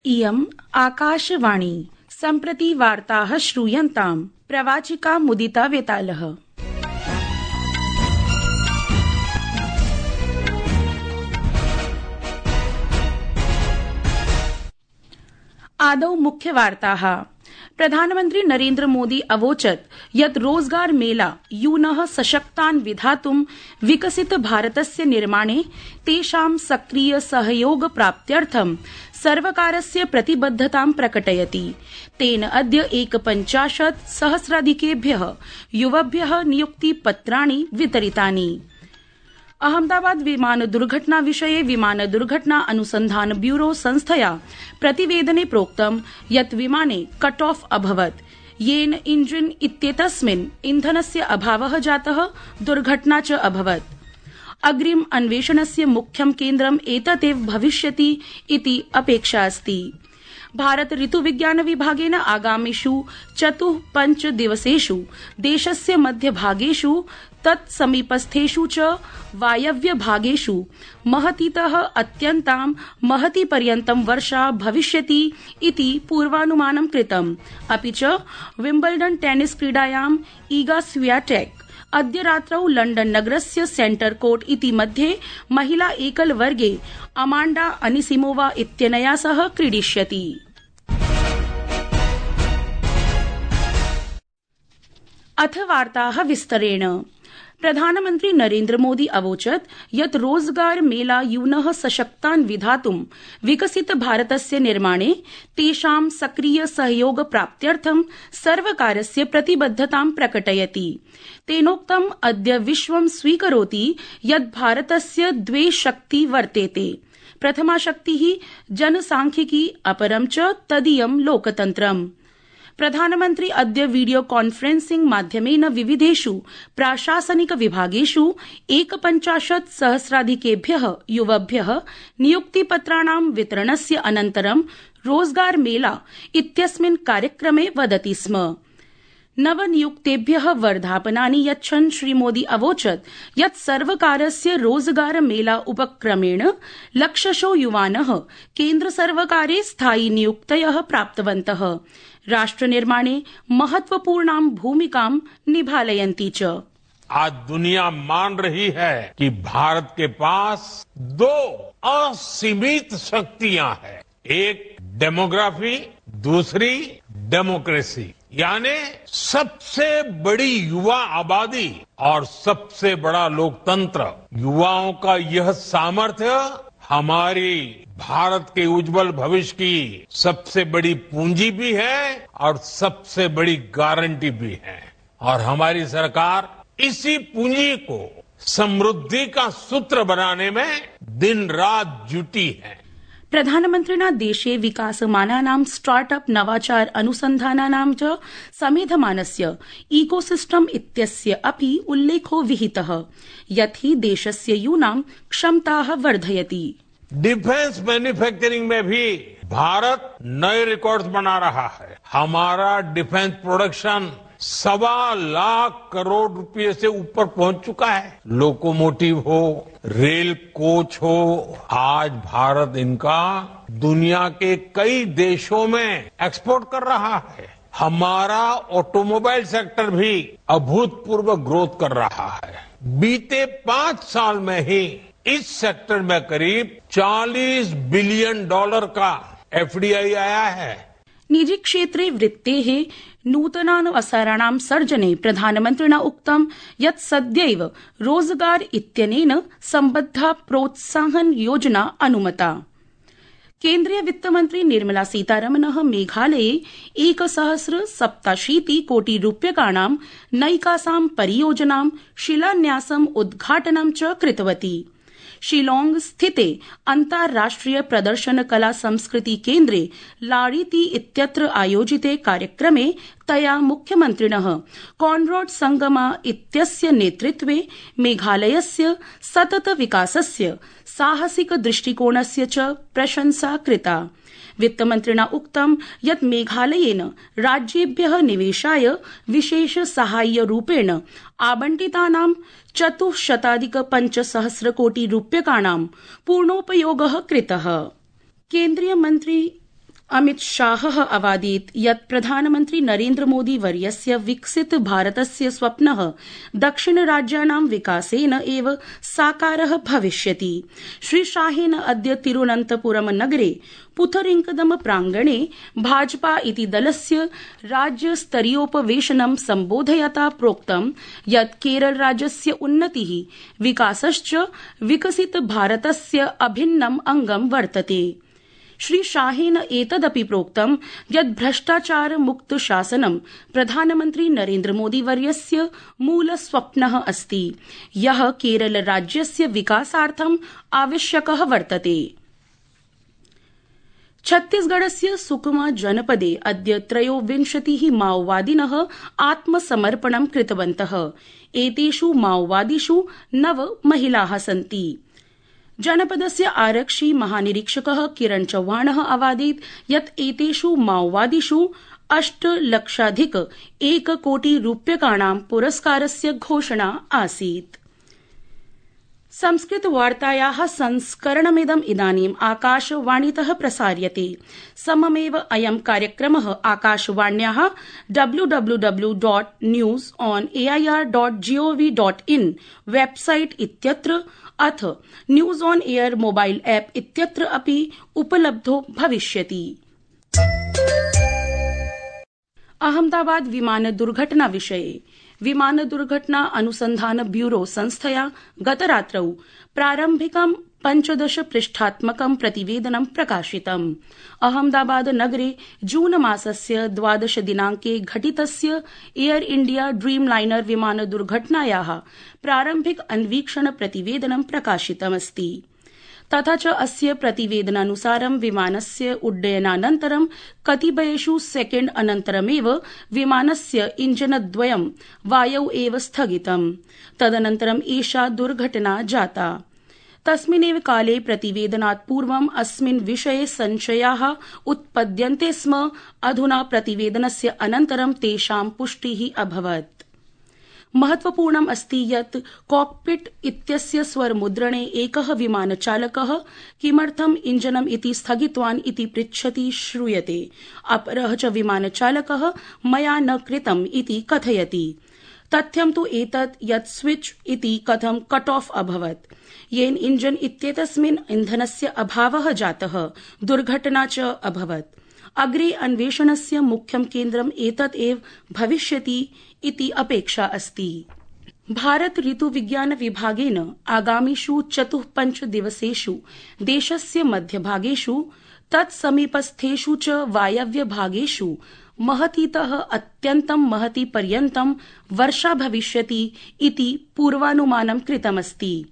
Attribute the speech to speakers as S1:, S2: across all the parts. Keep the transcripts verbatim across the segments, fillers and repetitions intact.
S1: इयम् आकाशवाणी सम्प्रति वार्ताः श्रूयन्ताम् प्रवाचिका मुदिता वेतालः। आदौ मुख्यवार्ताः। प्रधानमन्त्री नरेन्द्र मोदी अवोचत् यत् रोजगार मेला यूनः सशक्तान् विधातुं विकसित भारतस्य निर्माणे तेषां सक्रिय सहयोग प्राप्त्यर्थं सर्वकारस्य प्रतिबद्धतां प्रकटयति। तेन अद्य एकपञ्चाशत् सहस्राधिकेभ्यः युवभ्यः नियुक्तिपत्राणि वितरितानि। अहमदाबाद विमान दुर्घटना विषये विमान दुर्घटना अनुसंधान ब्यूरो संस्थया प्रतिवेदने प्रोक्तं यत् विमाने कट ऑफ अभवत्, येन इंजिन इत्येतस्मिन् इन्धनस्य अभावः जातः, दुर्घटना च अभवत्। अग्रिम अन्वेषणस्य मुख्यं केन्द्रम् एतदेव भविष्यति इति अपेक्षा अस्ति। भारत ऋतुविज्ञान विभागेन आगामिषु चतुः पञ्च दिवसेषु देशस्य मध्यभागेषु तत्समीपस्थेषु च वायव्य भागेषु महतीतः अत्यन्तां महती पर्यन्तं वर्षा भविष्यति इति पूर्वानुमानं कृतम्। अपि च विम्बल्डन टेनिस क्रीडायां ईगा स्वियाटेक अद्य रात्रौ लण्डन नगरस्य सेंटर कोर्ट इति मध्ये महिला एकल वर्गे अमांडा अनिसिमोवा इत्यनया सह क्रीडिष्यति। अथ वार्ताः विस्तरेण। प्रधानमन्त्री नरेन्द्र मोदी अवोचत् यत् रोजगार मेला यूनः सशक्तान् विधातुं विकसित भारतस्य निर्माणे तेषां सक्रिय सहयोग प्राप्त्यर्थं सर्वकारस्य प्रतिबद्धतां प्रकटयति। तेनोक्तम् अद्य विश्वं स्वीकरोति यत् भारतस्य द्वे शक्ति वर्तेते। प्रथमा शक्तिः जनसांख्यिकी, अपरं च तदीयं लोकतन्त्रम्। प्रधानमन्त्री अद्य वीडियो कॉन्फ्रेंसिंग माध्यमेन विविधेषु प्राशासनिक विभागेषु एकपञ्चाशत् सहस्राधिकेभ्यः युवभ्यः नियुक्तिपत्राणां वितरणस्य अनन्तरं रोजगार मेला इत्यस्मिन् कार्यक्रमे वदति स्म। नवनियुक्तेभ्यः वर्धापनानि यच्छन् श्रीमोदी अवोचत् यत् सर्वकारस्य रोजगार मेला उपक्रमेण लक्षशो युवानः केन्द्रसर्वकारे स्थायि नियुक्तयः प्राप्तवन्तः, राष्ट्रनिर्माणे महत्वपूर्णां भूमिकां निभालयन्ति च।
S2: आज दुनिया मान रही है कि भारत के पास दो असीमित शक्तियां हैं, एक डेमोग्राफी, दूसरी डेमोक्रेसी, यानी सबसे बड़ी युवा आबादी और सबसे बड़ा लोकतंत्र। युवाओं का यह सामर्थ्य हमारी भारत के उज्जवल भविष्य की सबसे बड़ी पूंजी भी है और सबसे बड़ी गारंटी भी है, और हमारी सरकार इसी पूंजी को समृद्धि का सूत्र बनाने में दिन रात जुटी है।
S1: प्रधानमन्त्रिणा देशे विकासमानानां स्टार्टअप नवाचार अनुसन्धानानां च समेधमानस्य इकोसिस्टम इत्यस्य अपि उल्लेखो विहितः, यत् हि देशस्य यूनां क्षमताः वर्धयति।
S2: डिफेंस मैन्युफैक्चरिंग में भी भारत नए रिकॉर्ड्स बना रहा है। हमारा डिफेंस प्रोडक्शन सवा लाख करोड़ रुपए से ऊपर पहुंच चुका है। लोकोमोटिव हो, रेल कोच हो, आज भारत इनका दुनिया के कई देशों में एक्सपोर्ट कर रहा है। हमारा ऑटोमोबाइल सेक्टर भी अभूतपूर्व ग्रोथ कर रहा है। बीते पांच साल में ही इस सेक्टर में करीब चालीस बिलियन डॉलर का एफडीआई आया है।
S1: निजी क्षेत्रे वृत्तेः नूतनावसराणां सर्जने प्रधानमन्त्रिणा उक्तं यत् सद्यैव रोजगार इत्यनेन सम्बद्धा प्रोत्साहन योजना अनुमता। केन्द्रीय वित्तमन्त्री निर्मला सीतारमणः मेघालये एकसहस्र सप्ताशीति कोटि रूप्यकाणां नैकासां परियोजनां शिलान्यासम् उद्घाटनं च कृतवती। शिलॉग स्थिते अन्ताराष्ट्रिय प्रदर्शन कला संस्कृति केन्द्रे लाड़ीती इत्यत्र आयोजिते कार्यक्रमे तया मुख्यमन्त्रिणः कॉनराड संगमा इत्यस्य नेतृत्वे मेघालयस्य सतत विकासस्य साहसिक दृष्टिकोणस्य च प्रशंसा कृता। वित्तमन्त्रिणा उक्तं यत् मेघालयेन राज्येभ्यः निवेशाय विशेष साहाय्य रूपेण आवंटितानां चतुश्शताधिक पञ्चसहस्र कोटि रूप्यकाणां पूर्णोपयोगः कृतः। केन्द्रीय मंत्री अमित शाहः अवादीत् यत् प्रधानमन्त्री नरेन्द्र मोदी वर्यस्य विकसित भारतस्य स्वप्नः दक्षिणराज्यानां विकासेन एव साकारः भविष्यति। श्री शाहेन अद्य तिरुवनन्तपुरम नगरे पुथरिंकदम प्रांगणे भाजपा इति दलस्य राज्यस्तरीयोपवेशनं सम्बोधयता प्रोक्तं यत् केरलराज्यस्य उन्नतिः विकासश्च विकसित भारतस्य अभिन्नम् अंगं वर्तते। श्री शाहेन एतदपि प्रोक्तं यत् भ्रष्टाचार मुक्त शासनं प्रधानमन्त्री नरेन्द्र मोदी वर्यस्य मूल स्वप्नः अस्ति, यः केरल राज्यस्य विकासार्थम् आवश्यकः वर्तते। छत्तीसगढ़स्य सुकमा जनपदे अद्य त्रयोविंशतिः माओवादिनः आत्मसमर्पणं कृतवन्तः। एतेषु माओवादिषु नव महिलाः सन्ति। जनपदस्य आरक्षि महानिरीक्षकः किरण चौहानः अवादीत् यत् एतेषु माओवादिषु अष्टलक्षाधिक एककोटि रूप्यकाणां पुरस्कारस्य घोषणा आसीत्। संस्कृतवार्तायाः संस्करणमिदम् इदानीम् आकाशवाणीतः प्रसार्यते। सममेव अयं कार्यक्रमः आकाशवाण्याः W W W dot news on AIR dot GOV dot in website इत्यत्र अथ news on AIR mobile app इत्यत्र अपि उपलब्धो भविष्यति। अहमदाबाद विमान दुर्घटना विषये विमान दुर्घटना अनुसंधान ब्यूरो संस्थया गतरात्रौ प्रारम्भिकं पंचदश पृष्ठात्मकं प्रतिवेदनं प्रकाशितम्। अहमदाबाद नगरे जून मासस्य द्वादश दिनांके घटितस्य एयर इंडिया ड्रीम लाइनर विमान दुर्घटनायाः प्रारम्भिक अन्वीक्षण प्रतिवेदनं प्रकाशितमस्ति। तथा च अस्य प्रतिवेदनानुसारं विमानस्य उड्डयनानन्तरं कतिपयेषु सेकेण्ड अनन्तरमेव विमानस्य इञ्जनद्वयं वायौ एव स्थगितम्। तदनन्तरं एषा दुर्घटना जाता। तस्मिन्नेव काले प्रतिवेदनात् पूर्वम् अस्मिन् विषये संशयाः उत्पद्यन्ते स्म। अधुना प्रतिवेदनस्य अनन्तरं तेषां पुष्टिः अभवत्। महत्वपूर्णम् अस्ति यत् कॉकपिट इत्यस्य स्वरमुद्रणे एकः विमानचालकः किमर्थम् इञ्जनम् इति स्थगितवान् इति पृच्छति श्रूयते। अपरः च विमानचालकः मया न कृतम् इति कथयति। तथ्यं तु एतत् यत् स्विच इति कथं कट ऑफ अभवत्, येन इञ्जन इत्येतस्मिन् इन्धनस्य अभावः जातः, दुर्घटना च अभवत्। अग्रे अन्वेषणस्य मुख्यं केन्द्रम् एतत् एव भविष्यति इति अपेक्षा अस्ति। भारत ऋतुविज्ञान विभागेन आगामिषु चतुःपञ्च दिवसेषु देशस्य मध्यभागेषु तत्समीपस्थेषु च वायव्य भागेषु महतीतः अत्यन्तं महती पर्यन्तं वर्षा भविष्यति इति पूर्वानुमानं कृतमस्ति।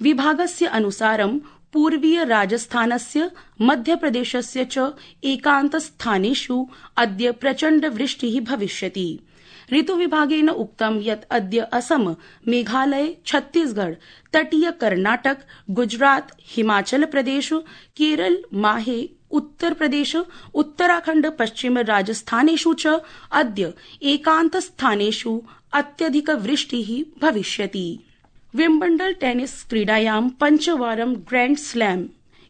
S1: विभागस्य अनुसारं पूर्वीय राजस्थानस्य मध्यप्रदेशस्य च एकान्तस्थानेषु अद्य प्रचण्ड वृष्टिः भविष्यति। ऋतुविभागेन उक्तं यत् अद्य असम, मेघालय, छत्तीसगढ़, तटीय कर्नाटक, गुजरात, हिमाचल प्रदेश, केरल, माहे, उत्तर प्रदेश, उत्तराखण्ड, पश्चिम राजस्थानेषु च अद्य एकान्तस्थानेषु अत्यधिक वृष्टिः भविष्यति। विम्बल्डन टेनिस क्रीडायां पञ्चवारं ग्रैंड स्लैम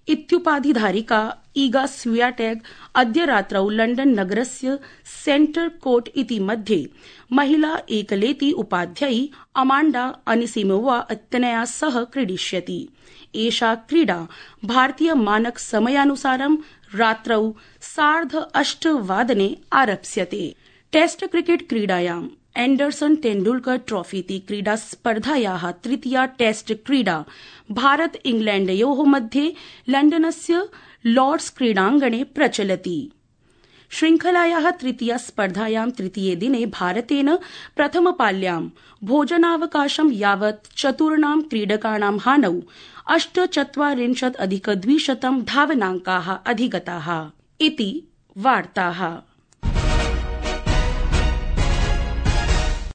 S1: इत्युपाधिधारिका ईगा स्वियाटेक अद्य रात्रौ लण्डन नगरस्य सेंटर कोर्ट इति मध्ये महिला एकलेति उपाध्यायी अमांडा अनिसिमोवा इत्यनया सह क्रीडिष्यति। एषा क्रीडा भारतीय मानक समयानुसारं रात्रौ सार्ध अष्टवादने आरप्स्यते। टेस्ट क्रिकेट क्रीडायां एंडरसन तेंडुलकर ट्रॉफी इति क्रीडा स्पर्धायाः तृतीया टेस्ट क्रीडा भारत इंग्लैण्डयोः मध्ये लण्डनस्य लॉर्ड्स क्रीडाङ्गणे प्रचलति। श्रृंखलायाः तृतीया स्पर्धायां तृतीये दिने भारतेन प्रथमपाल्यां भोजनावकाशं यावत् चतुर्णां क्रीडकाणां हानौ अष्टचत्वारिंशत् अधिक द्विशतं धावनाङ्काः अधिगताः इति वार्ताः।